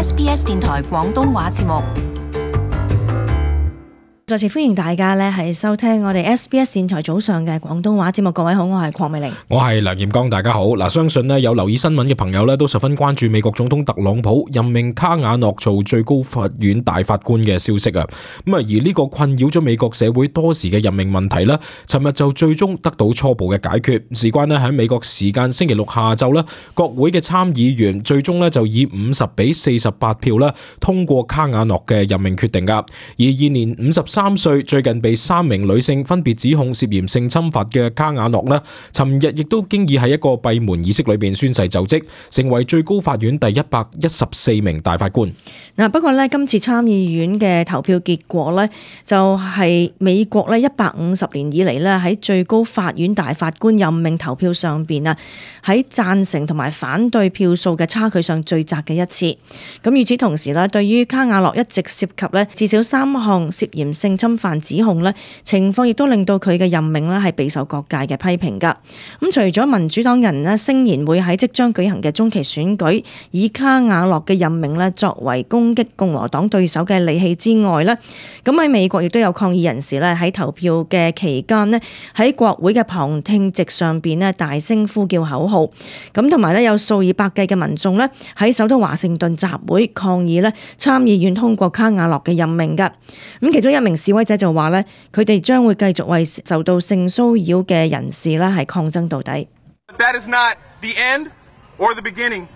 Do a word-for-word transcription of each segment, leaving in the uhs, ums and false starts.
S B S 電台廣東話節目。再次歡迎大家咧，係收聽我哋 S B S 電台早上嘅廣東話節目。各位好，我係鄺美玲，我係梁彥剛，大家好。嗱，相信咧有留意新聞嘅朋友咧，都十分關注美國總統特朗普任命卡瓦諾做最高法院大法官嘅消息啊。咁啊，而呢個困擾咗美國社會多時嘅任命問題咧，尋日就最終得到初步嘅解決。事關咧喺美國時間星期六下晝咧，國會嘅參議員最終咧就以五十比四十八票咧通過卡瓦諾嘅任命決定噶。而現年五十三歲，最近被三名女性分別指控涉嫌性侵犯嘅卡瓦諾呢，尋日亦都經已喺一個閉門儀式裏邊宣誓就職，成為最高法院第一百一十四名大法官。嗱，不過呢，今次參議院嘅投票結果呢，就係美國呢一百五十年以嚟呢喺最高法院大法官任命投票上邊啊，喺贊成同埋反對票數嘅差距上最窄嘅一次。咁與此同時呢，對於卡瓦諾一直涉及呢至少三項涉嫌性侵犯指控呢，情況亦都令到佢嘅任命呢係備受各界嘅批評噶。咁除咗民主黨人呢聲言會喺即將舉行嘅中期選舉以卡瓦諾嘅任命呢作為攻擊共和黨對手嘅利器之外呢，咁喺美國亦都有抗議人士呢喺投票嘅期間呢喺國會嘅旁聽席上邊呢大聲呼叫口號，咁同埋呢有數以百計嘅民眾呢喺首都華盛頓集會抗議呢參議院通過卡瓦諾嘅任命噶。咁其中一名示威者就話咧，佢哋將會繼續為受到性騷擾嘅人士咧係抗爭到底。That is not the end or the beginning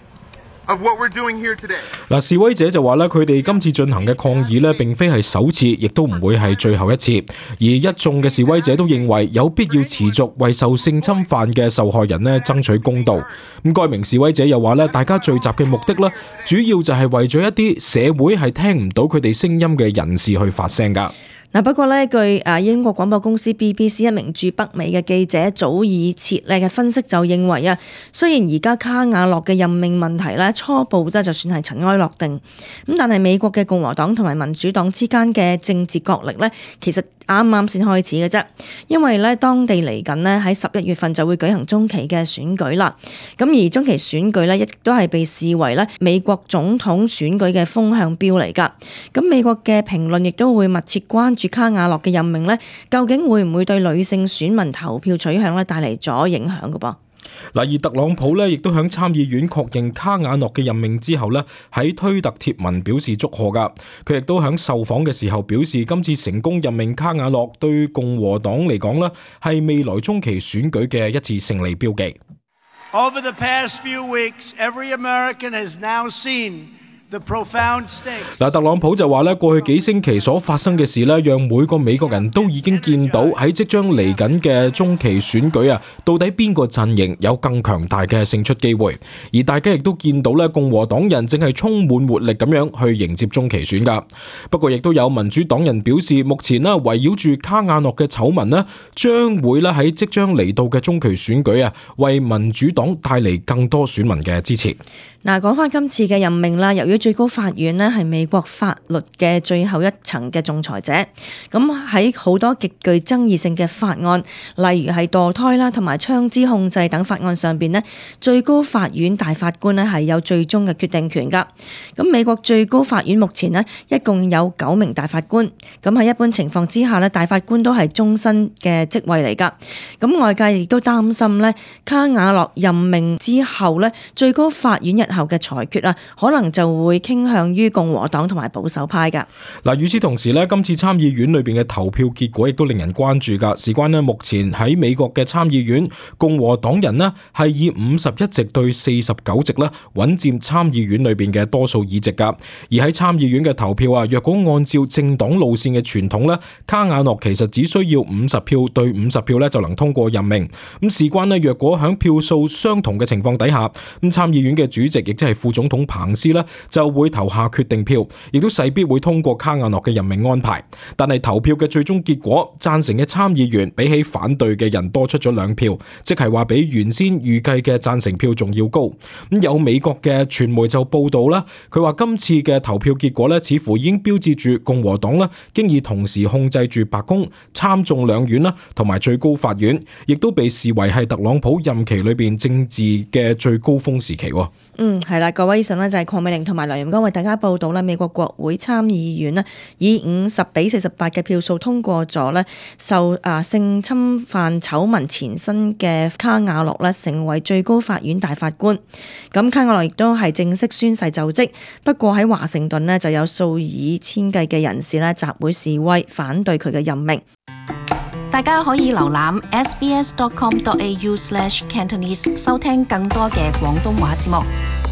of what we're doing here today. 嗱，示威者就話咧，佢哋今次進行嘅抗議咧，並非係首次，亦都唔會係最後一次。而一眾嘅示威者都認為有必要持續為受性侵犯嘅受害人咧爭取公道。咁該名示威者又話咧，大家聚集嘅目的咧，主要就係為咗一啲社會係聽唔到佢哋聲音嘅人士去發聲噶。嗱，不過呢據誒英國廣播公司 B B C 一名駐北美嘅記者早已設咧嘅分析就認為啊，雖然而家卡瓦諾嘅任命問題咧初步咧就算係塵埃落定，咁但係美國嘅共和黨同埋民主黨之間嘅政治角力咧，其實啱啱先開始嘅啫。因為咧當地嚟緊咧喺十一月份就會舉行中期嘅選舉啦，咁而中期選舉咧亦都係被視為咧美國總統選舉嘅風向標嚟㗎。咁美國嘅評論亦都會密切關注卡瓦諾嘅任命呢，究竟會唔會對女性選民投票取向咧帶嚟咗影響嘅噃？嗱，而特朗普呢亦都響參議院確認卡瓦諾嘅任命之後呢，喺推特貼文表示祝賀噶。佢亦都響受訪嘅時候表示，今次成功任命卡瓦諾對共和黨嚟講呢，係未來中期選舉嘅一次勝利標記。Over the past few weeks, every American has now seen嗱，特朗普就話咧，過去幾星期所發生嘅事咧，讓每個美國人都已經見到喺即將嚟緊嘅中期選舉啊，到底邊個陣營有更強大嘅勝出機會？而大家亦都見到咧，共和黨人正係充滿活力咁樣去迎接中期選噶。不過，亦都有民主黨人表示，目前咧圍繞住卡瓦諾嘅醜聞咧，將會咧喺即將嚟到嘅中期選舉啊，為民主黨帶嚟更多選民嘅支持。嗱，講翻今次嘅任命啦，由於最高法院呢係美國法律嘅最後一層嘅仲裁者，咁喺好多極具爭議性嘅法案，例如係墮胎啦同埋槍支控制等法案上邊呢，最高法院大法官呢係有最終嘅決定權噶。咁美國最高法院目前呢一共有九名大法官，咁喺一般情況之下呢，大法官都係終身嘅職位嚟噶。咁外界亦都擔心呢，卡瓦諾任命之後呢，最高法院日後嘅裁決啊，可能就會傾向於共和黨同埋保守派噶。嗱，與此同時咧，今次參議院裏邊嘅投票結果亦都令人關注噶。事關咧，目前喺美國嘅參議院，共和黨人咧係以五十一席對四十九席咧，穩佔參議院裏邊嘅多數議席噶。而喺參議院嘅投票啊，若果按照政黨路線嘅傳統咧，卡瓦諾其實只需要五十票對五十票咧就能通過任命。咁事關咧，若果響票數相同嘅情況底下，咁參議院嘅主席亦即係副總統彭斯咧，就會投下決定票，亦都勢必會通過卡瓦諾嘅任命安排。但係投票嘅最終結果，贊成嘅參議員比起反對嘅人多出咗兩票，即係話比原先預計嘅贊成票仲要高。咁有美國嘅傳媒就報道啦，佢話今次嘅投票結果咧，似乎已經標誌住共和黨咧，經已同時控制住白宮、參眾兩院啦，同埋最高法院，亦都被視為係特朗普任期裏邊政治嘅最高峰時期。嗯。嗯，係啦，各位，以上呢就係鄺美玲同埋梁仁剛為大家報道啦。美國國會參議院呢以五十比四十八嘅票數通過咗呢受啊性侵犯醜聞纏身嘅卡瓦諾呢成為最高法院大法官。咁卡瓦諾亦都係正式宣誓就職。不過喺華盛頓呢就有數以千計嘅人士呢集會示威，反對佢嘅任命。大家可以瀏覽 s b s dot com dot a u slash cantonese 收聽更多嘅廣東話節目。